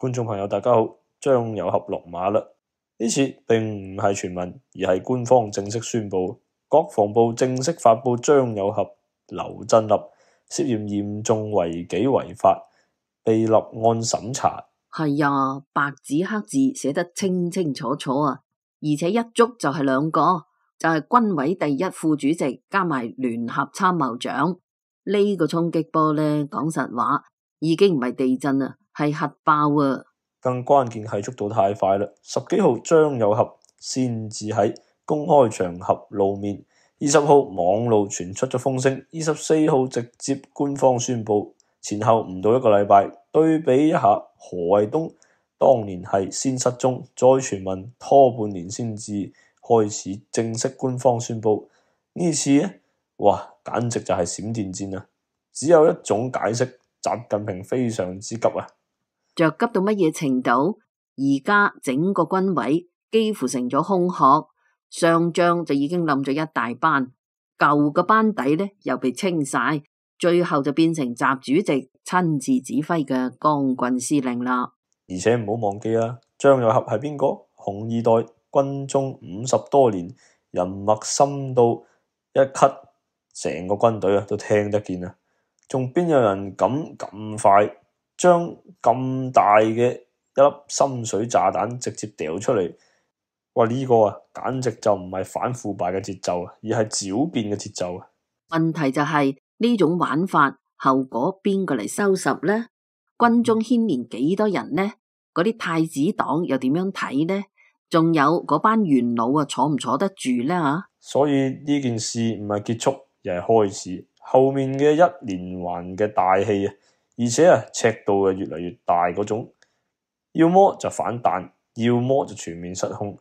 觀眾朋友大家好，張有俠落馬啦！呢次並唔係傳聞，而係官方正式宣布，國防部正式發布張有俠、劉振立涉嫌嚴重違紀違法，被立案審查。係啊，白紙黑字寫得清清楚楚啊！而且一捉就係兩個，就係軍委第一副主席加埋聯合參謀長。呢個衝擊波呢，講實話已經唔係地震啊，係核爆啊！更關鍵係捉到太快啦！10幾號張有俠先至喺公開場合露面，20號網路傳出咗風聲，24號直接官方宣布，前後唔到1個禮拜。對比一下何衛東當年係先失蹤，再傳聞拖半年先至開始正式官方宣布，呢次呢，哇，簡直就係閃電戰啊！只有一種解釋，習近平非常之急啊！着急到乜嘢程度？而家整個軍委幾乎成咗空殼，上將就已經冧咗一大班，舊嘅班底呢又被清晒，最後就變成習主席親自指揮嘅光棍司令啦。而且唔好忘記啊，張有俠係邊個？紅二代，軍中50多年，人脈深到一咳，成個軍隊都聽得見啊！仲邊有人敢咁快將咁大嘅一粒深水炸彈直接掉出嚟？哇！呢個啊，簡直就唔係反腐敗嘅節奏啊，而係狡辯嘅節奏啊！問題就係呢種玩法，後果邊個嚟收拾呢？軍中牽連幾多人呢？嗰啲太子黨又點樣睇呢？仲有嗰班元老啊，坐唔坐得住呢？吓？所以呢件事唔係結束，而係開始，後面嘅一連環嘅大戲啊！而且啊，尺度越嚟越大嗰種，要麼就反彈，要麼就全面失控。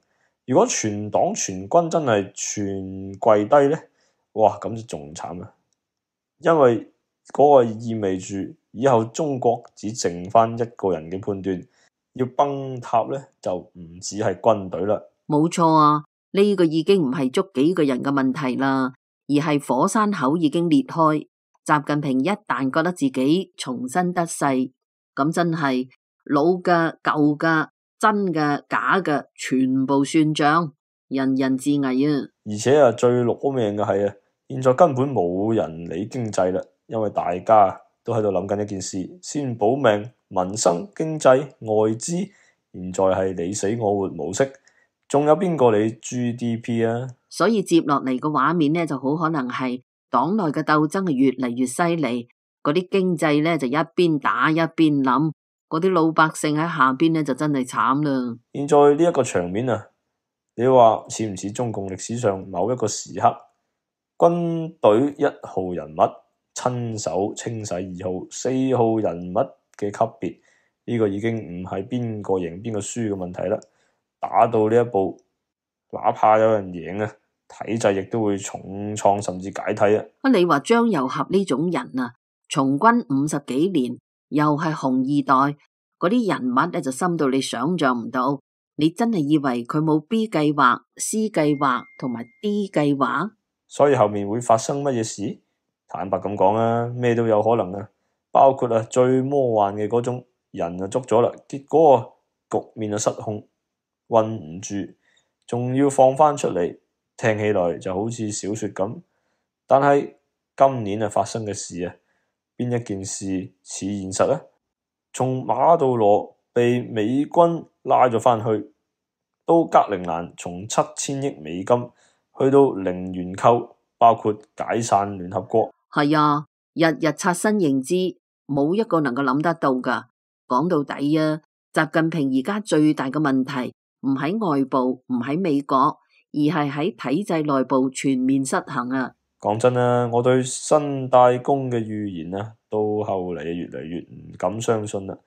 如果全黨全軍真係全跪低呢，哇，咁就仲慘啊！因為嗰個意味住以後中國只剩翻一個人嘅判斷，要崩塌呢，就唔止係軍隊啦。冇錯啊，呢個已經唔係捉幾個人嘅問題啦，而係火山口已經裂開。習近平一旦覺得自己重新得勢，咁真係老嘅、舊嘅、真嘅、假嘅，全部算賬，人人自危啊！而且啊，最攞命嘅係啊，現在根本冇人理經濟啦，因為大家都喺度諗緊一件事：先保命、民生、經濟、外資。現在係你死我活模式，仲有邊個理 GDP 啊？所以接落嚟嘅畫面呢，就好可能係黨內嘅鬥爭係越嚟越犀利，嗰啲經濟呢就一邊打一邊冧，嗰啲老百姓喺下邊呢就真係慘啦。現在呢一個場面啊，你話似唔似中共歷史上某一個時刻，軍隊1號人物親手清洗2號、4號人物嘅級別？呢個已經唔係邊個贏邊個輸嘅問題啦。打到呢一步，哪怕有人贏啊，體制亦都會重創甚至解體啊！你話張有俠呢種人啊，從軍50幾年，又係紅二代，嗰啲人物咧就深到你想象唔到。你真係以為佢冇 B 計劃、C 計劃同埋 D 計劃？所以後面會發生乜嘢事？坦白咁講啊，咩都有可能啊，包括啊最魔幻嘅嗰種人就捉咗啦，結果啊局面就失控，韞唔住，仲要放翻出嚟，聽起來就好似小說咁。但係今年啊發生嘅事啊，邊一件事似現實呢？從馬杜羅被美軍拉咗翻去，到格陵蘭從7000億美金去到零元購，包括解散聯合國。係啊，日日刷新認知，冇一個能夠諗得到噶。講到底啊，習近平而家最大嘅問題唔喺外部，唔喺美國，而係喺體制內部全面失衡啊！講真啊，我對新大公嘅預言啊，到後嚟越嚟越唔敢相信啦。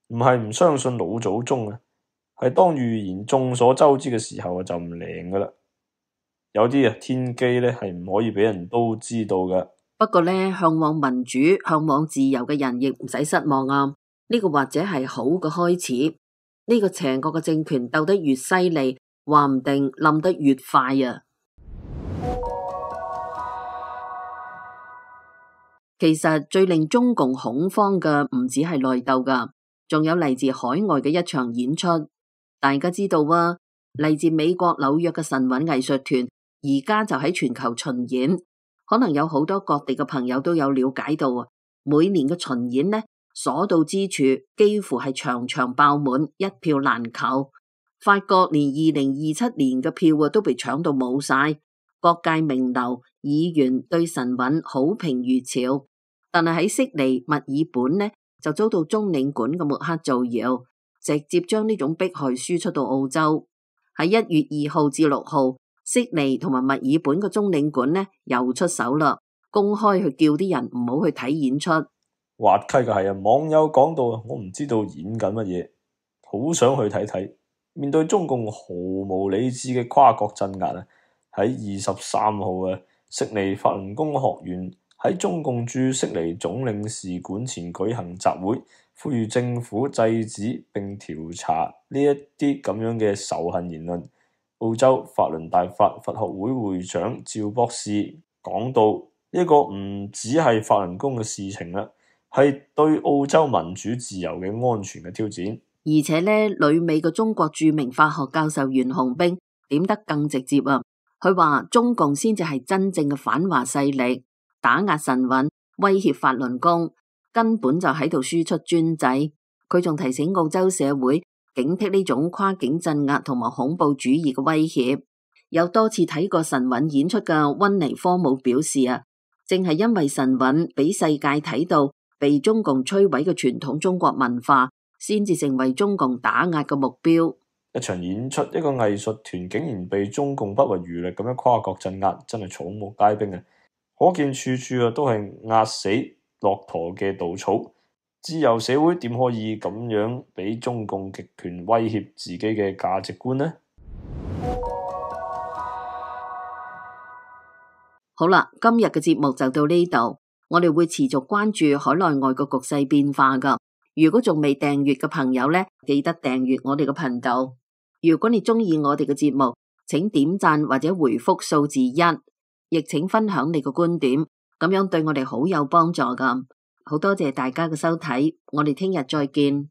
唔係唔相信老祖宗啊，係當預言眾所周知嘅時候就唔靈噶啦。有啲啊天機咧係唔可以俾人都知道噶。不過咧，向往民主、向往自由嘅人亦唔使失望啊！呢個或者係好嘅開始。呢個邪惡嘅政權鬥得越犀利，話唔定冧得越快啊！其實最令中共恐慌嘅唔止係內鬥噶，仲有嚟自海外嘅一場演出。大家知道啊，嚟自美國紐約嘅神韻藝術團而家就喺全球巡演，可能有好多各地嘅朋友都有了解到啊。每年嘅巡演呢，所到之處幾乎係場場爆滿，一票難求。法國連2027年嘅票啊都被搶到冇晒，各界名流議員對神韻好評如潮。但係喺悉尼、墨爾本呢，就遭到中領館嘅抹黑造謠，直接將呢種迫害輸出到澳洲。喺1月2號至6號，悉尼同埋墨爾本嘅中領館呢又出手啦，公開去叫啲人唔好去睇演出。滑稽嘅係啊，網友講到啊，我唔知道演緊乜嘢，好想去睇睇。面對中共毫無理智嘅跨國鎮壓啊，喺23號啊，悉尼法輪功學院喺中共駐悉尼總領事館前舉行集會，呼籲政府制止並調查呢一啲咁樣嘅仇恨言論。澳洲法輪大法佛學會會長趙博士講到，呢個唔只係法輪功嘅事情啦，係對澳洲民主自由嘅安全嘅挑戰。而且呢，旅美嘅中國著名法學教授袁洪兵點得更直接啊！佢話中共先至係真正嘅反華勢力，打壓神韻，威脅法輪功，根本就喺度輸出專制。佢仲提醒澳洲社會警惕呢種跨境鎮壓同埋恐怖主義嘅威脅。有多次睇過神韻演出嘅溫尼科姆表示啊，正係因為神韻俾世界睇到被中共摧毀嘅傳統中國文化，先至成為中共打壓嘅目標。一場演出，一個藝術團竟然被中共不遺餘力咁樣跨國鎮壓，真係草木皆兵啊！可見處處啊都係壓死駱駝嘅稻草。自由社會點可以咁樣俾中共極權威脅自己嘅價值觀呢？好啦，今日嘅節目就到呢度，我哋會持續關注海內外個局勢變化噶。如果仲未訂閱嘅朋友呢，記得訂閱我哋嘅頻道。如果你中意我哋嘅節目，請點讚或者回覆數字1，亦請分享你嘅觀點，咁樣對我哋好有幫助噶。好多謝大家嘅收睇，我哋聽日再見。